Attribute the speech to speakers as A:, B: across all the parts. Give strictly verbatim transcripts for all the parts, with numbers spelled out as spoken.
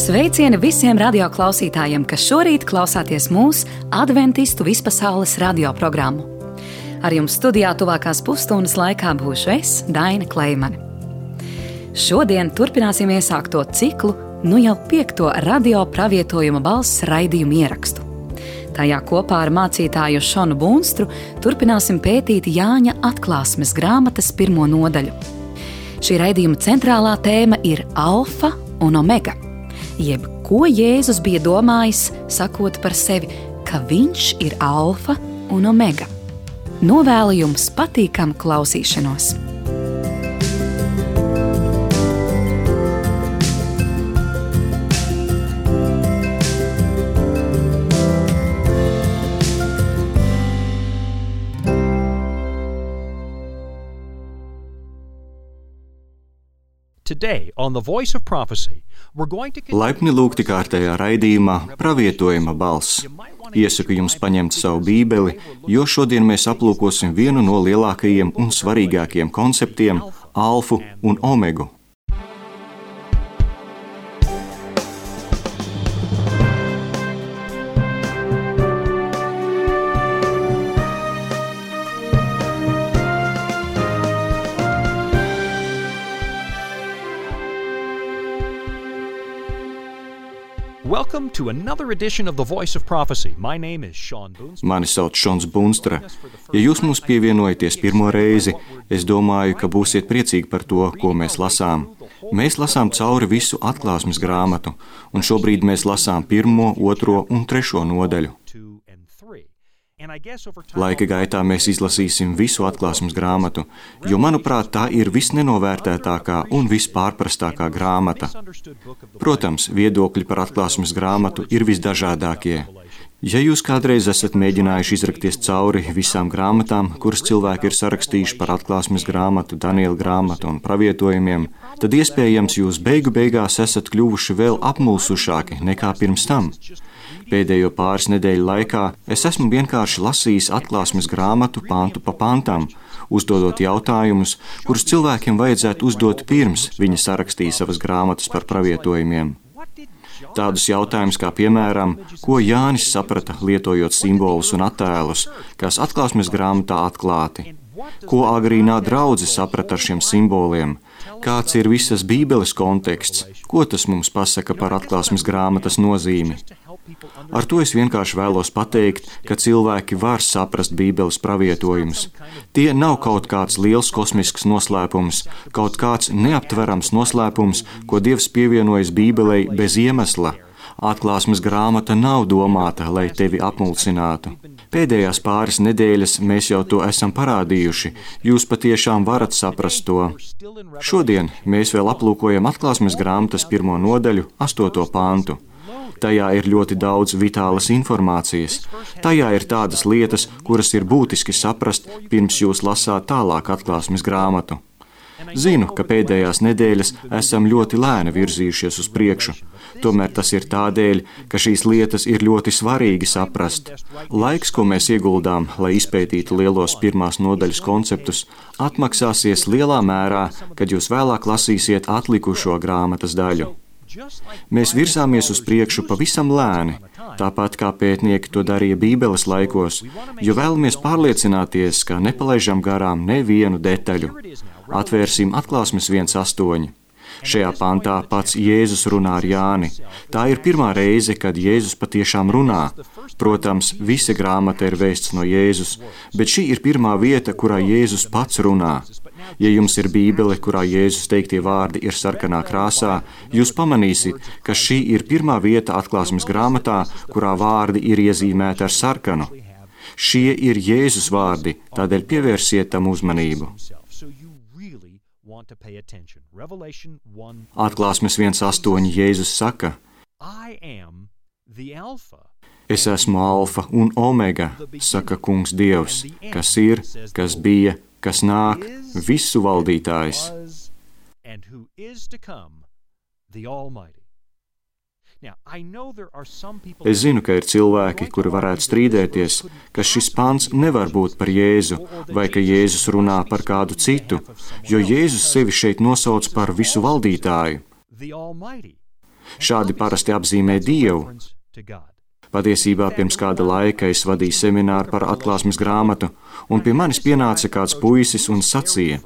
A: Sveicieni visiem radioklausītājiem, kas šorīt klausāties mūsu Adventistu vispasaules radioprogrammu. Ar jums studijā tuvākās pusstundas laikā būšu es, Daina Kleimane. Šodien turpināsim iesākto ciklu, nu jau piekto radio pravietojuma balss raidījumu ierakstu. Tajā kopā ar mācītāju Šonu Bunstru turpināsim pētīt Jāņa atklāsmes grāmatas pirmo nodaļu. Šī raidījuma centrālā tēma ir Alfa un Omega, jeb ko Jēzus bija domājis, sakot par sevi, ka viņš ir Alfa un Omega. Novēlu jums patīkamu klausīšanos!
B: Today on the Voice of Prophecy, we're going to
C: Laipni lūgti kārtējā raidījumā Pravietojuma balss. Iesaku jums paņemt savu bībeli, jo šodien mēs aplūkosim vienu no lielākajiem un svarīgākajiem konceptiem – Alfu un Omegu.
B: Welcome to another edition of the Voice of Prophecy. My name is Sean Boonstra.
C: Mani sauc Šons Bunstra. Ja jūs mums pievienojaties pirmo reizi, es domāju, ka būsiet priecīgi par to, ko mēs lasām. Mēs lasām cauri visu atklāsmes grāmatu, un šobrīd mēs lasām pirmo, otro un trešo nodaļu. Laika gaitā mēs izlasīsim visu atklāsmes grāmatu, jo, manuprāt, tā ir visnenovērtētākā un vispārprastākā grāmata. Protams, viedokļi par atklāsmes grāmatu ir visdažādākie. Ja jūs kādreiz esat mēģinājuši izrakties cauri visām grāmatām, kuras cilvēki ir sarakstījuši par atklāsmes grāmatu, Daniela grāmatu un pravietojumiem, tad iespējams jūs beigu beigās esat kļuvuši vēl apmulsušāki nekā pirms tam. Pēdējo pāris nedēļu laikā es esmu vienkārši lasījis atklāsmes grāmatu pantu pa pantam, uzdodot jautājumus, kurus cilvēkiem vajadzētu uzdot pirms viņi sarakstīja savas grāmatas par pravietojumiem. Tādus jautājumus kā, piemēram, ko Jānis saprata, lietojot simbolus un attēlus, kas atklāsmes grāmatā atklāti, ko agrīnā draudze saprata ar šiem simboliem, kāds ir visas Bībeles konteksts, ko tas mums pasaka par atklāsmes grāmatas nozīmi. Ar to es vienkārši vēlos pateikt, ka cilvēki var saprast Bībeles pravietojumus. Tie nav kaut kāds liels kosmisks noslēpums, kaut kāds neaptverams noslēpums, ko Dievs pievienojas Bībelei bez iemesla. Atklāsmes grāmata nav domāta, lai tevi apmulsinātu. Pēdējās pāris nedēļas mēs jau to esam parādījuši, jūs patiešām varat saprast to. Šodien mēs vēl aplūkojam atklāsmes grāmatas pirmo nodaļu, astoto pantu. Tajā ir ļoti daudz vitālas informācijas. Tajā ir tādas lietas, kuras ir būtiski saprast, pirms jūs lasāt tālāk atklāsmes grāmatu. Zinu, ka pēdējās nedēļas esam ļoti lēni virzījušies uz priekšu. Tomēr tas ir tādēļ, ka šīs lietas ir ļoti svarīgi saprast. Laiks, ko mēs ieguldām, lai izpētītu lielos pirmās nodaļas konceptus, atmaksāsies lielā mērā, kad jūs vēlāk lasīsiet atlikušo grāmatas daļu. Mēs virzāmies uz priekšu pavisam lēni, tāpat kā pētnieki to darīja Bībeles laikos, jo vēlamies pārliecināties, ka nepalaižam garām nevienu detaļu. Atvērsim atklāsmes viens astoņi. Šajā pantā pats Jēzus runā ar Jāni. Tā ir pirmā reize, kad Jēzus patiešām runā. Protams, visa grāmata ir vēsts no Jēzus, bet šī ir pirmā vieta, kurā Jēzus pats runā. Ja jums ir Bībele, kurā Jēzus teiktie vārdi ir sarkanā krāsā, jūs pamanīsiet, ka šī ir pirmā vieta atklāsmes grāmatā, kurā vārdi ir iezīmēti ar sarkanu. Šie ir Jēzus vārdi, tādēļ pievērsiet tam uzmanību. Atklāsmes viens astoņi Jēzus saka: Es esmu Alfa un Omega, saka Kungs Dievs, kas ir, kas bija, kas nāk, visu valdītājs. Es zinu, ka ir cilvēki, kuri varētu strīdēties, ka šis pants nevar būt par Jēzu, vai ka Jēzus runā par kādu citu, jo Jēzus sevi šeit nosauc par visu valdītāju. Šādi parasti apzīmē Dievu. Patiesībā pirms kāda laika es vadīju semināru par atklāsmes grāmatu, un pie manis pienāca kāds puisis un sacīja: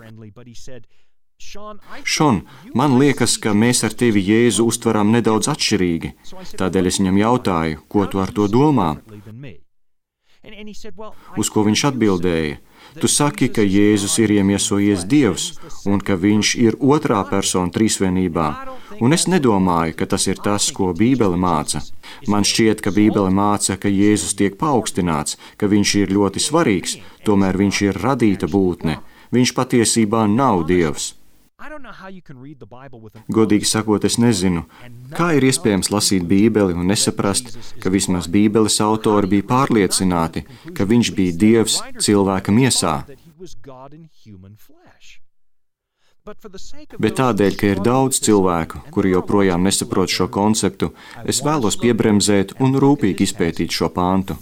C: Šon, man liekas, ka mēs ar tevi Jēzu uztveram nedaudz atšķirīgi, tādēļ es viņam jautāju, ko tu ar to domā? Uz ko viņš atbildēja: Tu saki, ka Jēzus ir iemiesojies Dievs un ka viņš ir otrā persona trīsvienībā, un es nedomāju, ka tas ir tas, ko Bībele māca. Man šķiet, ka Bībele māca, ka Jēzus tiek paaugstināts, ka viņš ir ļoti svarīgs, tomēr viņš ir radīta būtne. Viņš patiesībā nav Dievs. Godīgi sakot, es nezinu, kā ir iespējams lasīt Bībeli un nesaprast, ka vismaz Bībeles autori bija pārliecināti, ka viņš bija Dievs cilvēka miesā. Bet tādēļ, ka ir daudz cilvēku, kuri joprojām nesaprot šo konceptu, es vēlos piebremzēt un rūpīgi izpētīt šo pāntu.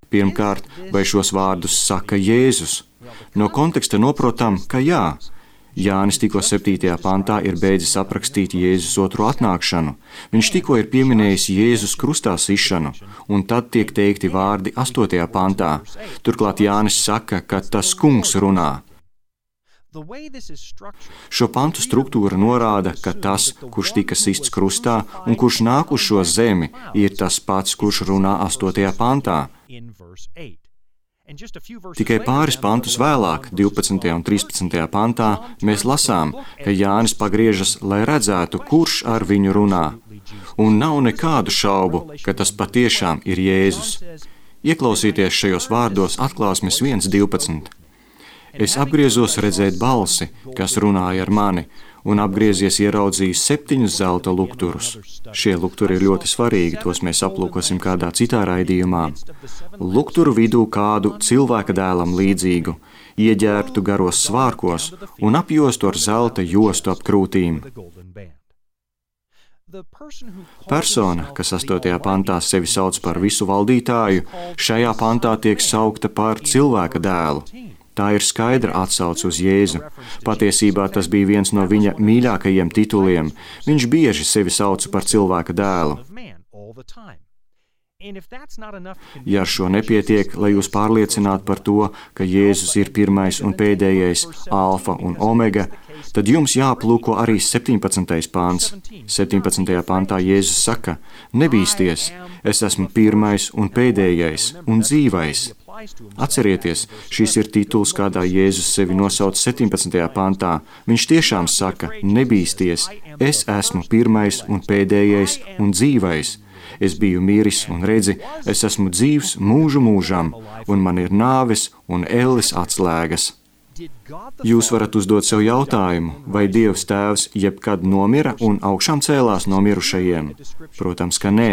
C: Pirmkārt, vai šos vārdus saka Jēzus? No konteksta noprotam, ka jā. Jānis tikko septītajā pantā ir beidzis aprakstīt Jēzus otro atnākšanu. Viņš tikko ir pieminējis Jēzus krustā sišanu, un tad tiek teikti vārdi astotajā pantā. Turklāt Jānis saka, ka tas kungs runā. Šo pantu struktūra norāda, ka tas, kurš tika sists krustā un kurš nāk uz šo zemi, ir tas pats, kurš runā astotajā pantā. Tikai pāris pantus vēlāk, divpadsmitajā un trīspadsmitajā pantā, mēs lasām, ka Jānis pagriežas, lai redzētu, kurš ar viņu runā. Un nav nekādu šaubu, ka tas patiešām ir Jēzus. Ieklausīties šajos vārdos Atklāsmes viens divpadsmit. Es apgriezos redzēt balsi, kas runāja ar mani, un apgriezies ieraudzīju septiņus zelta lukturus. Šie lukturi ir ļoti svarīgi, tos mēs aplūkosim kādā citā raidījumā. Lukturu vidū kādu cilvēka dēlam līdzīgu, ieģērbtu garos svārkos un apjostu ar zelta jostu ap krūtīm. Persona, kas astotajā pantā sevi sauc par visu valdītāju, šajā pantā tiek saukta par cilvēka dēlu. Tā ir skaidra atsauce uz Jēzu. Patiesībā tas bija viens no viņa mīļākajiem tituliem. Viņš bieži sevi sauca par cilvēka dēlu. Ja ar šo nepietiek, lai jūs pārliecinātu par to, ka Jēzus ir pirmais un pēdējais, alfa un omega, tad jums jāplūko arī septiņpadsmitais pants. septiņpadsmitajā pantā Jēzus saka: Nebīsties, es esmu pirmais un pēdējais un dzīvais. Atcerieties, šis ir tituls, kādā Jēzus sevi nosauc septiņpadsmitajā pantā. Viņš tiešām saka: Nebīsties, es esmu pirmais un pēdējais un dzīvais. Es biju miris un redzi, es esmu dzīvs mūžu mūžam, un man ir nāves un elles atslēgas. Jūs varat uzdot sev jautājumu, vai Dievs Tēvs jebkad nomira un augšām cēlās no mirušajiem? Protams, ka nē.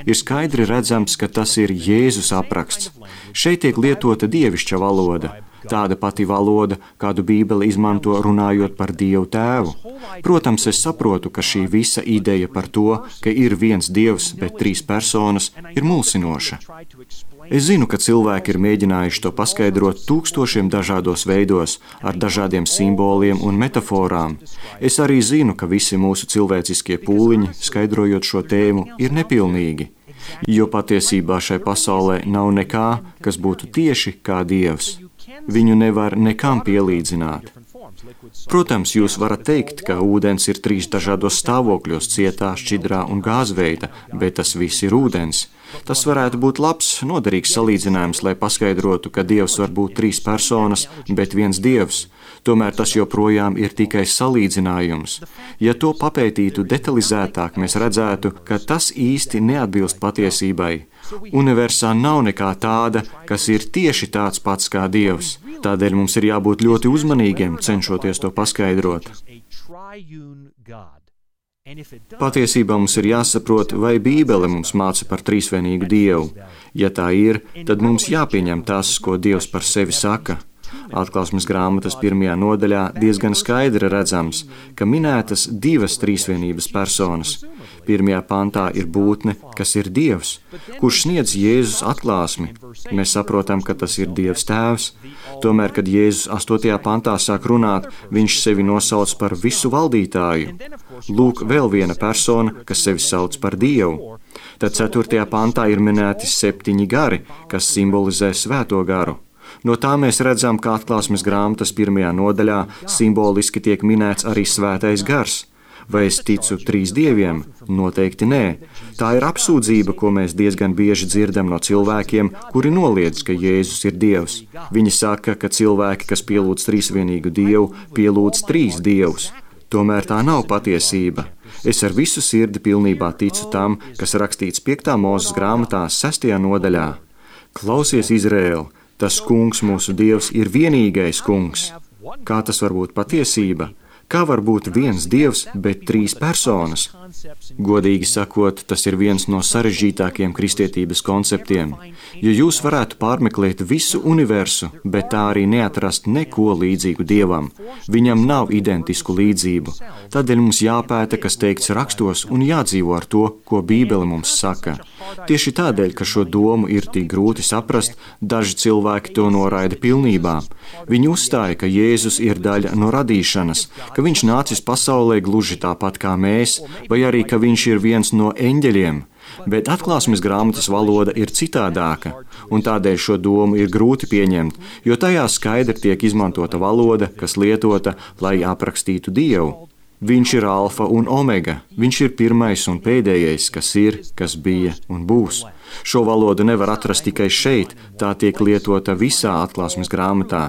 C: Ir skaidri redzams, ka tas ir Jēzus apraksts. Šeit tiek lietota dievišķa valoda. Tāda pati valoda, kādu Bībele izmanto runājot par Dievu Tēvu. Protams, es saprotu, ka šī visa ideja par to, ka ir viens Dievs, bet trīs personas, ir mulsinoša. Es zinu, ka cilvēki ir mēģinājuši to paskaidrot tūkstošiem dažādos veidos, ar dažādiem simboliem un metaforām. Es arī zinu, ka visi mūsu cilvēciskie pūliņi, skaidrojot šo tēmu, ir nepilnīgi, jo patiesībā šai pasaulē nav nekā, kas būtu tieši kā Dievs. Viņu nevar nekam pielīdzināt. Protams, jūs varat teikt, ka ūdens ir trīs dažādos stāvokļos – cietā, šķidrā un gāzveida, bet tas viss ir ūdens. Tas varētu būt labs, noderīgs salīdzinājums, lai paskaidrotu, ka Dievs var būt trīs personas, bet viens Dievs. Tomēr tas joprojām ir tikai salīdzinājums. Ja to papētītu detalizētāk, mēs redzētu, ka tas īsti neatbilst patiesībai. Universā nav nekā tāda, kas ir tieši tāds pats kā Dievs. Tādēļ mums ir jābūt ļoti uzmanīgiem, cenšoties to paskaidrot. Patiesībā mums ir jāsaprot, vai Bībele mums māca par trīsvienīgu Dievu. Ja tā ir, tad mums jāpieņem tas, ko Dievs par sevi saka. Atklāsmes grāmatas pirmajā nodaļā diezgan skaidri redzams, ka minētas divas trīsvienības personas. Pirmajā pantā ir būtne, kas ir Dievs, kurš sniedz Jēzus atklāsmi. Mēs saprotam, ka tas ir Dievs Tēvs. Tomēr, kad Jēzus astotajā pantā sāk runāt, viņš sevi nosauc par visu valdītāju. Lūk, vēl viena persona, kas sevi sauc par Dievu. Tad ceturtajā pantā ir minēti septiņi gari, kas simbolizē svēto garu. No tā mēs redzam, ka atklāsmes grāmatas pirmajā nodaļā simboliski tiek minēts arī svētais gars. Vai es ticu trīs dieviem? Noteikti nē. Tā ir apsūdzība, ko mēs diezgan bieži dzirdam no cilvēkiem, kuri noliedz, ka Jēzus ir Dievs. Viņi saka, ka cilvēki, kas pielūdz trīsvienīgu Dievu, pielūdz trīs dievus. Tomēr tā nav patiesība. Es ar visu sirdi pilnībā ticu tam, kas rakstīts piektā Mūzes grāmatā sestajā nodaļā. Klausies, Izraēl, tas kungs, mūsu Dievs, ir vienīgais kungs. Kā tas var būt patiesība? Kā var būt viens dievs, bet trīs personas? Godīgi sakot, tas ir viens no sarežģītākiem kristietības konceptiem. Ja jūs varētu pārmeklēt visu universu, bet tā arī neatrast neko līdzīgu Dievam, viņam nav identisku līdzību, tādēļ mums jāpēta, kas teikts rakstos, un jādzīvo ar to, ko Bībele mums saka. Tieši tādēļ, ka šo domu ir tik grūti saprast, daži cilvēki to noraida pilnībā. Viņi uzstāja, ka Jēzus ir daļa no radīšanas, ka viņš nācis pasaulē gluži tāpat kā mēs, vai arī, ka viņš ir viens no eņģeļiem. Bet atklāsmes grāmatas valoda ir citādāka, un tādēļ šo domu ir grūti pieņemt, jo tajā skaidri tiek izmantota valoda, kas lietota, lai aprakstītu Dievu. Viņš ir alfa un omega, viņš ir pirmais un pēdējais, kas ir, kas bija un būs. Šo valodu nevar atrast tikai šeit, tā tiek lietota visā atklāsmes grāmatā.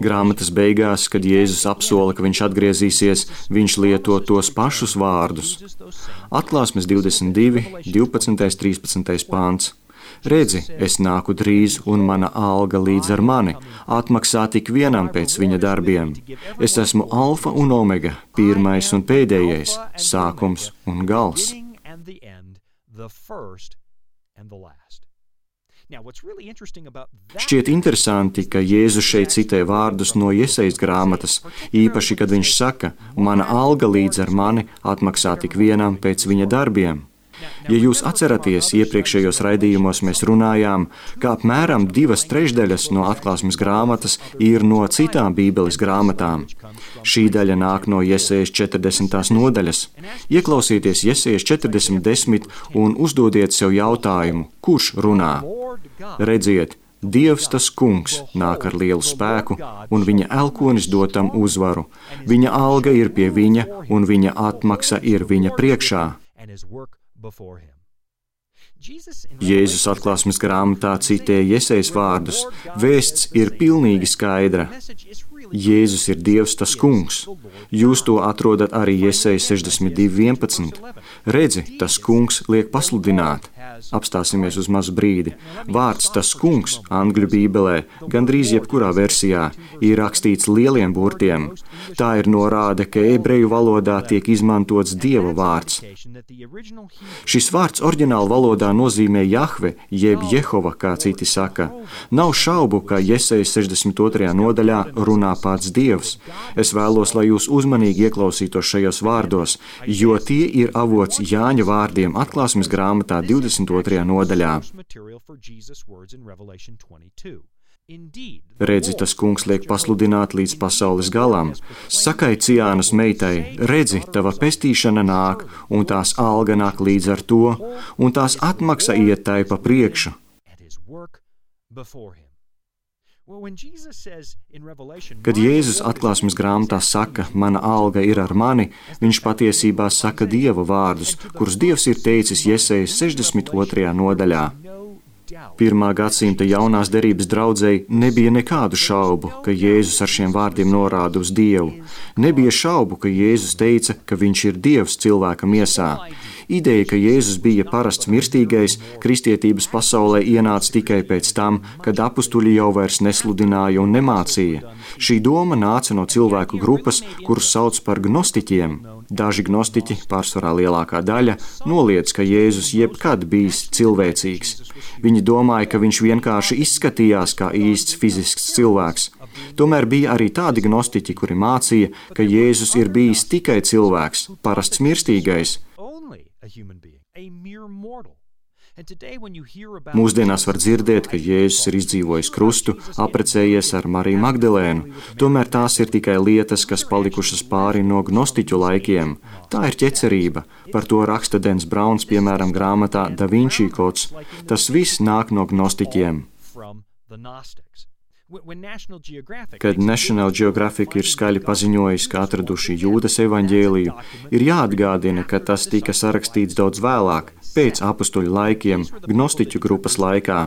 C: Grāmatas beigās, kad Jēzus apsola, ka viņš atgriezīsies, viņš lieto tos pašus vārdus. Atklāsmes divdesmit divi, divpadsmitais, trīspadsmitais pāns. Redzi, es nāku drīz, un mana alga līdz ar mani, atmaksā tik vienam pēc viņa darbiem. Es esmu alfa un omega, pirmais un pēdējais, sākums un gals. Šķiet interesanti, ka Jēzus šeit citē vārdus no Jesajas grāmatas, īpaši, kad viņš saka, mana alga līdz ar mani atmaksā tik vienam pēc viņa darbiem. Ja jūs atceraties, iepriekšējos raidījumos mēs runājām, ka apmēram divas trešdaļas no atklāsmes grāmatas ir no citām Bībeles grāmatām. Šī daļa nāk no Jesajas četrdesmitās nodaļas. Ieklausieties Jesajas četrdesmit desmit un uzdodiet sev jautājumu, kurš runā? Redziet, Dievs tas kungs nāk ar lielu spēku, un viņa elkonis dod tam uzvaru. Viņa alga ir pie viņa, un viņa atmaksa ir viņa priekšā. Jēzus atklāsmes grāmatā citē Jesajas vārdus. Vēsts ir pilnīgi skaidra. Jēzus ir Dievs tas kungs. Jūs to atrodat arī Jesajas sešdesmit divi vienpadsmit. Redzi, tas kungs liek pasludināt. Apstāsimies uz mazu brīdi. Vārds tas kungs angļu bībelē, gandrīz jebkurā versijā, ir rakstīts lieliem burtiem. Tā ir norāde, ka ebreju valodā tiek izmantots Dieva vārds. Šis vārds oriģināla valodā nozīmē Jahve, jeb Jehova, kā citi saka. Nav šaubu, ka Jesajas sešdesmit otrajā nodaļā runā pats Dievs. Es vēlos, lai jūs uzmanīgi ieklausītos šajos vārdos, jo tie ir avots Jāņa vārdiem atklāsmes grāmatā divdesmit otrajā nodaļā. Redzi, tas kungs liek pasludināt līdz pasaules galam. Sakai Ciānas meitai, redzi, tava pestīšana nāk, un tās alga nāk līdz ar to, un tās atmaksa iet tai pa priekšu. Kad Jēzus atklāsmes grāmatā saka, mana alga ir ar mani, viņš patiesībā saka Dieva vārdus, kurus Dievs ir teicis Jesajas sešdesmit otrajā nodaļā. Pirmā gadsimta jaunās derības draudzei nebija nekādu šaubu, ka Jēzus ar šiem vārdiem norāda uz Dievu. Nebija šaubu, ka Jēzus teica, ka viņš ir Dievs cilvēka miesā. Ideja, ka Jēzus bija parasts mirstīgais, kristietības pasaulē ienāca tikai pēc tam, kad apustuļi jau vairs nesludināja un nemācīja. Šī doma nāca no cilvēku grupas, kurus sauc par gnostiķiem. Daži gnostiķi, pārsvarā lielākā daļa, noliedz, ka Jēzus jebkad bijis cilvēcīgs. Viņi domāja, ka viņš vienkārši izskatījās kā īsts fizisks cilvēks. Tomēr bija arī tādi gnostiķi, kuri mācīja, ka Jēzus ir bijis tikai cilvēks, parasts mirstīgais. Mūsdienās var dzirdēt, ka Jēzus ir izdzīvojis krustu, apprecējies ar Mariju Magdalēnu. Tomēr tās ir tikai lietas, kas palikušas pāri no gnostiķu laikiem. Tā ir ķecerība. Par to raksta Dens Brauns, piemēram, grāmatā Da Vinci kods. Tas viss nāk no gnostiķiem. Kad National Geographic ir skaļi paziņojis, ka atraduši Jūdas evaņģēliju, ir jāatgādina, ka tas tika sarakstīts daudz vēlāk, pēc apustuļu laikiem, gnostiķu grupas laikā.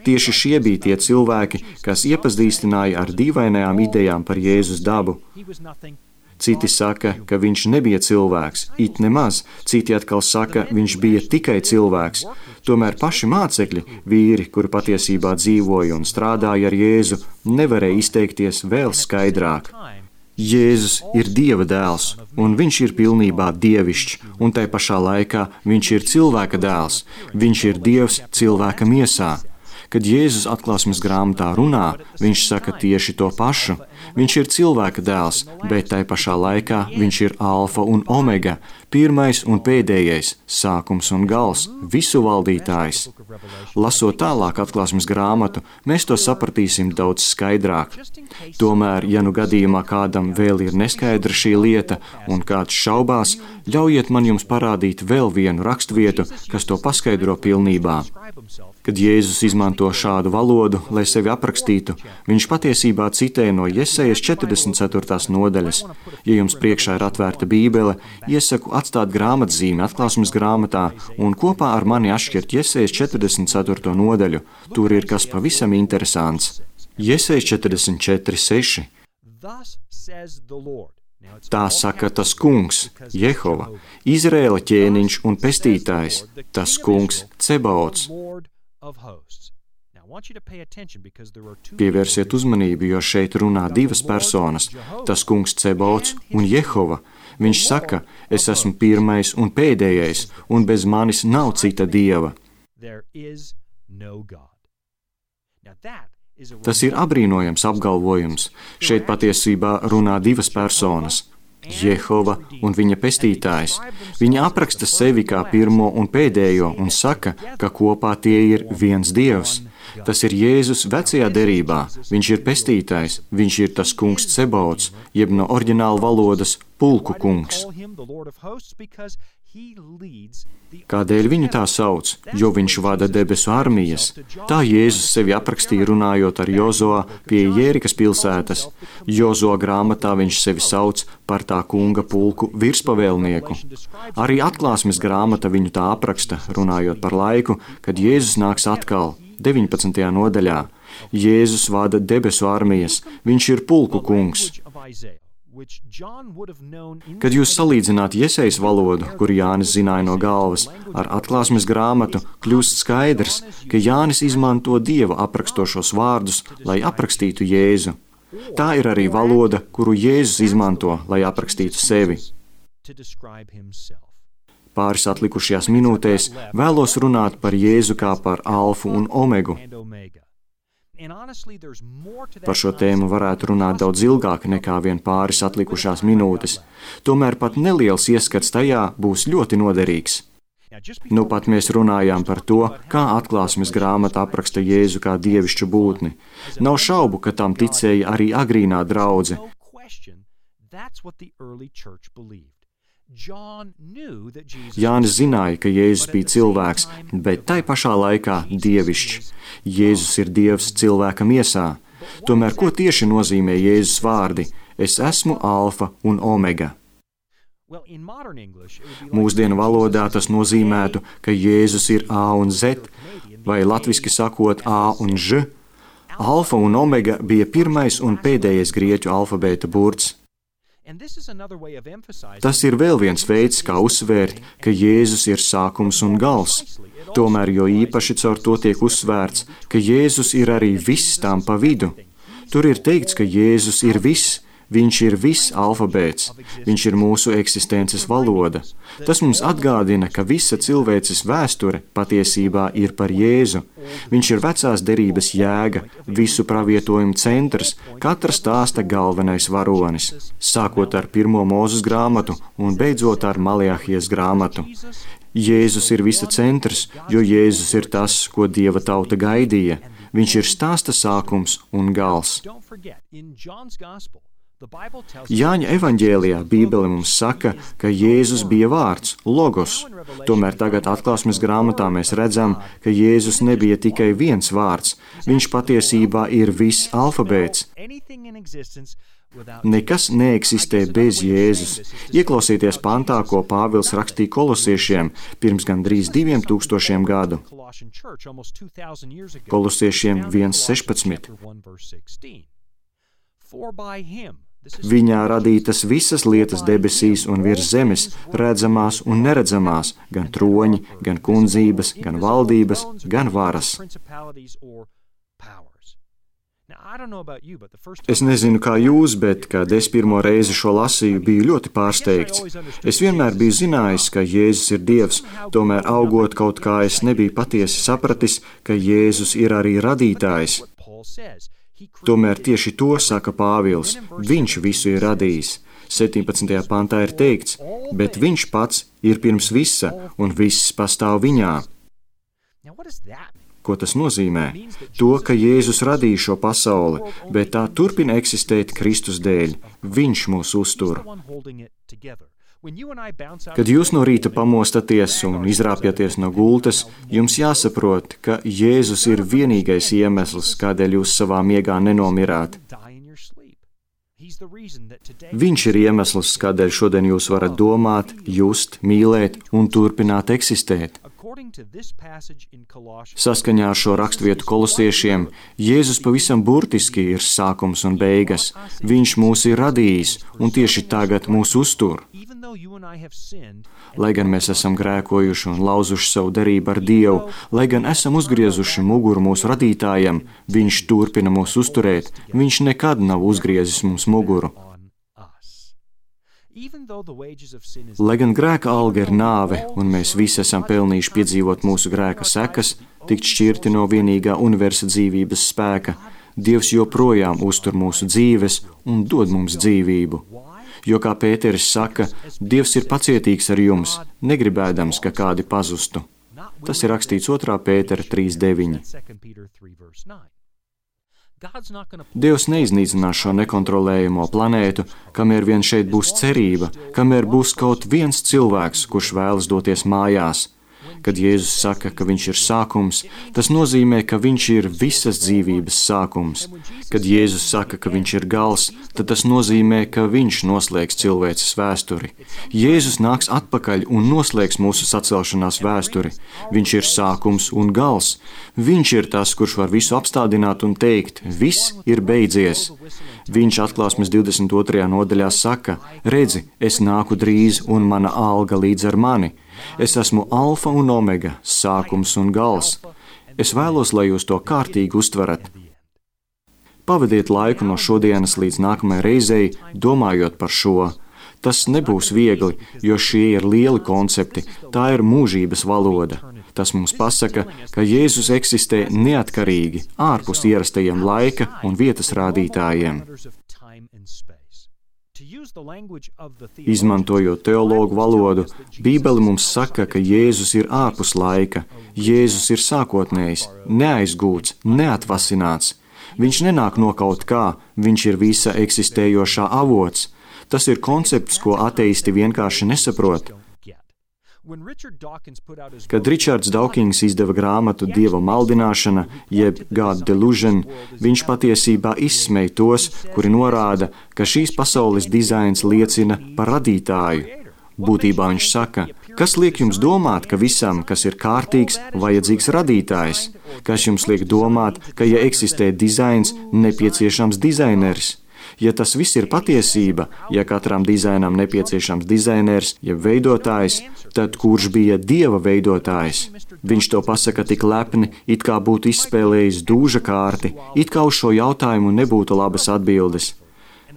C: Tieši šie bija tie cilvēki, kas iepazīstināja ar dīvainajām idejām par Jēzus dabu. Citi saka, ka viņš nebija cilvēks, it nemaz, citi atkal saka, viņš bija tikai cilvēks. Tomēr paši mācekļi, vīri, kuri patiesībā dzīvoja un strādāja ar Jēzu, nevarēja izteikties vēl skaidrāk. Jēzus ir Dieva dēls, un viņš ir pilnībā dievišķs, un tai pašā laikā viņš ir cilvēka dēls, viņš ir Dievs cilvēka miesā. Kad Jēzus atklāsmes grāmatā runā, viņš saka tieši to pašu. Viņš ir cilvēka dēls, bet tai pašā laikā viņš ir alfa un omega, pirmais un pēdējais, sākums un gals, visu valdītājs. Lasot tālāk atklāsmes grāmatu, mēs to sapratīsim daudz skaidrāk. Tomēr, ja nu gadījumā kādam vēl ir neskaidra šī lieta un kāds šaubās, ļaujiet man jums parādīt vēl vienu raksturvietu, kas to paskaidro pilnībā. Kad Jēzus izmanto šādu valodu, lai sevi aprakstītu, viņš patiesībā citē no Jesejas četrdesmit ceturtās nodaļas. Ja jums priekšā ir atvērta Bībele, iesaku atstāt grāmatzīmi atklāsmes grāmatā un kopā ar mani atšķirt Jesejas četrdesmit ceturto nodaļu. Tur ir kas pavisam interesants. Jesejas četrdesmit četri seši. Tā saka tas kungs, Jehova, Izraēla ķēniņš un pestītājs, tas kungs Cebaots. Pievērsiet uzmanību, jo šeit runā divas personas, tas kungs Cebaots un Jehova. Viņš saka, es esmu pirmais un pēdējais, un bez manis nav cita dieva. Tas ir apbrīnojams apgalvojums. Šeit patiesībā runā divas personas. Jehova un viņa pestītājs. Viņa apraksta sevi kā pirmo un pēdējo un saka, ka kopā tie ir viens dievs. Tas ir Jēzus vecajā derībā. Viņš ir pestītājs, viņš ir tas kungs Cebaots, jeb no oriģināla valodas pulku kungs. Kādēļ viņu tā sauc? Jo viņš vada debesu armijas. Tā Jēzus sevi aprakstīja runājot ar Jozoā pie Jērikas pilsētas. Jozoā grāmatā viņš sevi sauc par tā kunga pulku virspavēlnieku. Arī atklāsmes grāmata viņu tā apraksta, runājot par laiku, kad Jēzus nāks atkal, deviņpadsmitajā nodaļā. Jēzus vada debesu armijas, viņš ir pulku kungs. Kad jūs salīdzināt Jesejas valodu, kuru Jānis zināja no galvas, ar atklāsmes grāmatu, kļūst skaidrs, ka Jānis izmanto Dieva aprakstošos vārdus, lai aprakstītu Jēzu. Tā ir arī valoda, kuru Jēzus izmanto, lai aprakstītu sevi. Pāris atlikušajās minūtēs vēlos runāt par Jēzu kā par alfu un omegu. Par šo tēmu varētu runāt daudz ilgāk nekā vien pāris atlikušās minūtes. Tomēr pat neliels ieskats tajā būs ļoti noderīgs. Nu pat mēs runājām par to, kā atklāsmes grāmata apraksta Jēzu kā dievišķu būtni. Nav šaubu, ka tam ticēja arī agrīnā draudze. Jānis zināja, ka Jēzus bija cilvēks, bet tai pašā laikā dievišķs. Jēzus ir Dievs cilvēka miesā. Tomēr ko tieši nozīmē Jēzus vārdi? Es esmu alfa un omega. Mūsdienu valodā tas nozīmētu, ka Jēzus ir A un Z, vai latviski sakot A un Ž. Alfa un omega bija pirmais un pēdējais grieķu alfabēta burts. Tas ir vēl viens veids, kā uzsvērt, ka Jēzus ir sākums un gals. Tomēr jo īpaši caur to tiek uzsvērts, ka Jēzus ir arī viss tām pa vidu. Tur ir teikts, ka Jēzus ir viss. Viņš ir viss alfabēts, viņš ir mūsu eksistences valoda. Tas mums atgādina, ka visa cilvēces vēsture patiesībā ir par Jēzu. Viņš ir vecās derības jēga, visu pravietojumu centrs, katra stāsta galvenais varonis, sākot ar pirmo Mūzes grāmatu un beidzot ar Maleahijas grāmatu. Jēzus ir visa centrs, jo Jēzus ir tas, ko Dieva tauta gaidīja. Viņš ir stāsta sākums un gals. Jāņa evaņģēlijā Bībele mums saka, ka Jēzus bija vārds, logos. Tomēr tagad atklāsmes grāmatā mēs redzam, ka Jēzus nebija tikai viens vārds. Viņš patiesībā ir viss alfabēts. Nekas neeksistē bez Jēzus. Ieklausieties pantā, ko Pāvils rakstīja kolosiešiem pirms gandrīz diviem tūkstošiem gadu. Kolosiešiem viens sešpadsmit. Viņā radītas visas lietas debesīs un virs zemes, redzamās un neredzamās, gan troņi, gan kundzības, gan valdības, gan varas. Es nezinu, kā jūs, bet, kad es pirmo reizi šo lasīju, biju ļoti pārsteigts. Es vienmēr biju zinājis, ka Jēzus ir Dievs, tomēr augot kaut kā es nebiju patiesi sapratis, ka Jēzus ir arī radītājs. Tomēr tieši to saka Pāvils, viņš visu ir radījis. septiņpadsmitajā pantā ir teikts, bet viņš pats ir pirms visa, un viss pastāv viņā. Ko tas nozīmē? To, ka Jēzus radīja šo pasauli, bet tā turpina eksistēt Kristus dēļ. Viņš mūs uztur. Kad jūs no rīta pamostaties un izrāpjaties no gultas, jums jāsaprot, ka Jēzus ir vienīgais iemesls, kādēļ jūs savā miegā nenomirāt. Viņš ir iemesls, kādēļ šodien jūs varat domāt, just, mīlēt un turpināt eksistēt. Saskaņā ar šo raksturvietu kolosiešiem, Jēzus pavisam burtiski ir sākums un beigas. Viņš mūs ir radījis un tieši tagad mūs uztur. Lai gan mēs esam grēkojuši un lauzuši savu derību ar Dievu, lai gan esam uzgriezuši muguru mūsu radītājam, viņš turpina mūs uzturēt, viņš nekad nav uzgriezis mums muguru. Lai gan grēka alga ir nāve, un mēs visi esam pelnījuši piedzīvot mūsu grēka sekas, tikt šķirti no vienīgā universa dzīvības spēka, Dievs joprojām uztur mūsu dzīves un dod mums dzīvību. Jo, kā Pēteris saka, Dievs ir pacietīgs ar jums, negribēdams, ka kādi pazustu. Tas ir rakstīts otrā Pētera trīs deviņi. Dievs neiznīcinās šo nekontrolējamo planētu, kamēr vien šeit būs cerība, kamēr būs kaut viens cilvēks, kurš vēlas doties mājās. Kad Jēzus saka, ka viņš ir sākums, tas nozīmē, ka viņš ir visas dzīvības sākums. Kad Jēzus saka, ka viņš ir gals, tad tas nozīmē, ka viņš noslēgs cilvēces vēsturi. Jēzus nāks atpakaļ un noslēgs mūsu sacelšanās vēsturi. Viņš ir sākums un gals. Viņš ir tas, kurš var visu apstādināt un teikt, viss ir beidzies. Viņš atklāsmes divdesmit otrajā nodaļā saka, redzi, es nāku drīz un mana alga līdz ar mani. Es esmu alfa un omega, sākums un gals. Es vēlos, lai jūs to kārtīgi uztverat. Pavadiet laiku no šodienas līdz nākamajai reizei, domājot par šo. Tas nebūs viegli, jo šie ir lieli koncepti, tā ir mūžības valoda. Tas mums pasaka, ka Jēzus eksistē neatkarīgi, ārpus ierastajiem laika un vietas rādītājiem. Izmantojot teologu valodu, Bībele mums saka, ka Jēzus ir ārpus laika. Jēzus ir sākotnējs, neaizgūts, neatvasināts. Viņš nenāk no kaut kā, viņš ir visa eksistējošā avots. Tas ir koncepts, ko ateisti vienkārši nesaprot. Kad Ričards Dawkins izdeva grāmatu Dieva maldināšana, jeb God Delusion, viņš patiesībā izsmej tos, kuri norāda, ka šīs pasaules dizains liecina par radītāju. Būtībā viņš saka, kas liek jums domāt, ka visam, kas ir kārtīgs, vajadzīgs radītājs? Kas jums liek domāt, ka ja eksistē dizains, nepieciešams dizaineris? Ja tas viss ir patiesība, ja katram dizainam nepieciešams dizainers, jeb veidotājs, tad kurš bija Dieva veidotājs? Viņš to pasaka tik lepni, it kā būtu izspēlējis dūža kārti, it kā uz šo jautājumu nebūtu labas atbildes.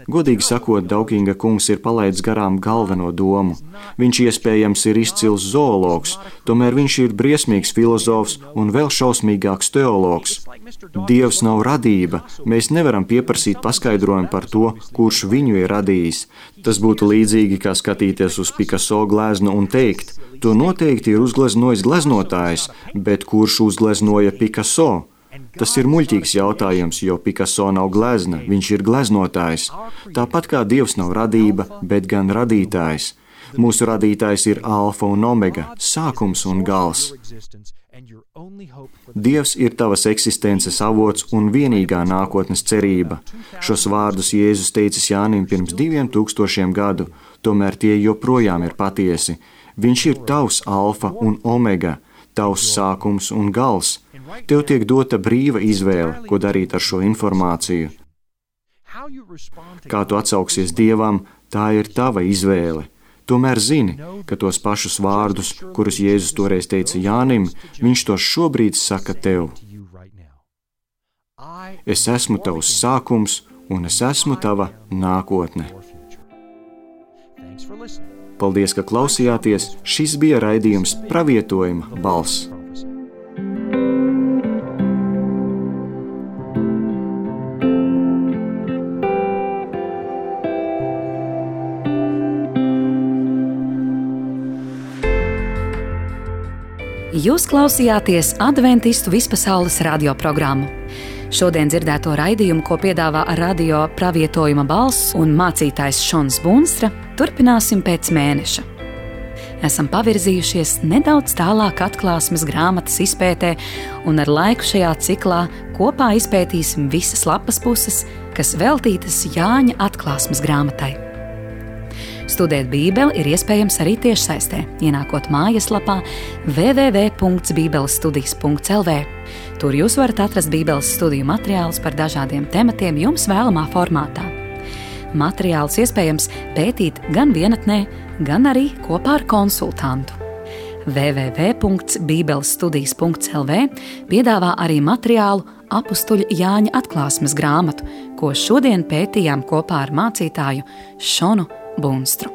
C: Godīgi sakot, Daukinga kungs ir palaidis garām galveno domu. Viņš iespējams ir izcils zoologs, tomēr viņš ir briesmīgs filozofs un vēl šausmīgāks teologs. Dievs nav radība, mēs nevaram pieprasīt paskaidrojumu par to, kurš viņu ir radījis. Tas būtu līdzīgi, kā skatīties uz Picasso gleznu un teikt, to noteikti ir uzgleznojis gleznotājs, bet kurš uzgleznoja Picasso? Tas ir muļķīgs jautājums, jo Picasso nav glezna, viņš ir gleznotājs. Tāpat kā Dievs nav radība, bet gan radītājs. Mūsu radītājs ir alfa un omega, sākums un gals. Dievs ir tavas eksistences avots un vienīgā nākotnes cerība. Šos vārdus Jēzus teicis Jānim pirms diviem tūkstošiem gadu, tomēr tie joprojām ir patiesi. Viņš ir tavs alfa un omega, tavs sākums un gals. Tev tiek dota brīva izvēle, ko darīt ar šo informāciju. Kā tu atsauksies Dievam, tā ir tava izvēle. Tomēr zini, ka tos pašus vārdus, kurus Jēzus toreiz teica Jānim, viņš tos šobrīd saka tev. Es esmu tavs sākums un es esmu tava nākotne. Paldies, ka klausījāties. Šis bija raidījums Pravietojuma balss.
A: Jūs klausījāties Adventistu vispasaules radioprogrammu. Šodien dzirdēto raidījumu, ko piedāvā radio Pravietojuma balss un mācītājs Šons Bunstra, turpināsim pēc mēneša. Esam pavirzījušies nedaudz tālāk atklāsmes grāmatas izpētē, un ar laiku šajā ciklā kopā izpētīsim visas lapas puses, kas veltītas Jāņa atklāsmes grāmatai. Studēt Bībeli ir iespējams arī tiešsaistē, ienākot mājaslapā w w w punkts bībeles studijas punkts l v. Tur jūs varat atrast Bībeles studiju materiālus par dažādiem tematiem jums vēlamā formātā. Materiālus iespējams pētīt gan vienatnē, gan arī kopā ar konsultantu. w w w punkts bībeles studijas punkts l v piedāvā arī materiālu Apustuļa Jāņa atklāsmes grāmatu, ko šodien pētījām kopā ar mācītāju Šonu Bunstru.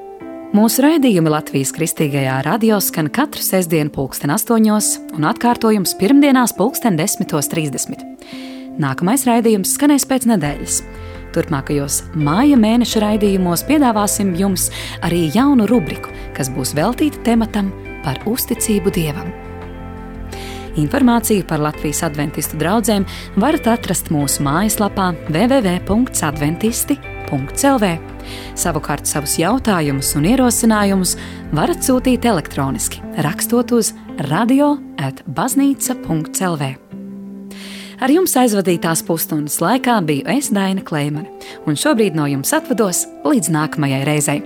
A: Mūsu raidījumi Latvijas Kristīgajā radio skan katru sestdienu pulksten astoņos un atkārtojums pirmdienās pulksten desmitos trīsdesmit. Nākamais raidījums skanēs pēc nedēļas. Turpmākajos māja mēneša raidījumos piedāvāsim jums arī jaunu rubriku, kas būs veltīta tematam par uzticību Dievam. Informāciju par Latvijas adventistu draudzēm varat atrast mūsu mājaslapā w w w punkts adventisti punkts l v. Savukārt savus jautājumus un ierosinājumus varat sūtīt elektroniski, rakstot uz radio at baznīca punkts l v. Ar jums aizvadītās pusstundas laikā biju es, Daina Kleimane, un šobrīd no jums atvados līdz nākamajai reizei.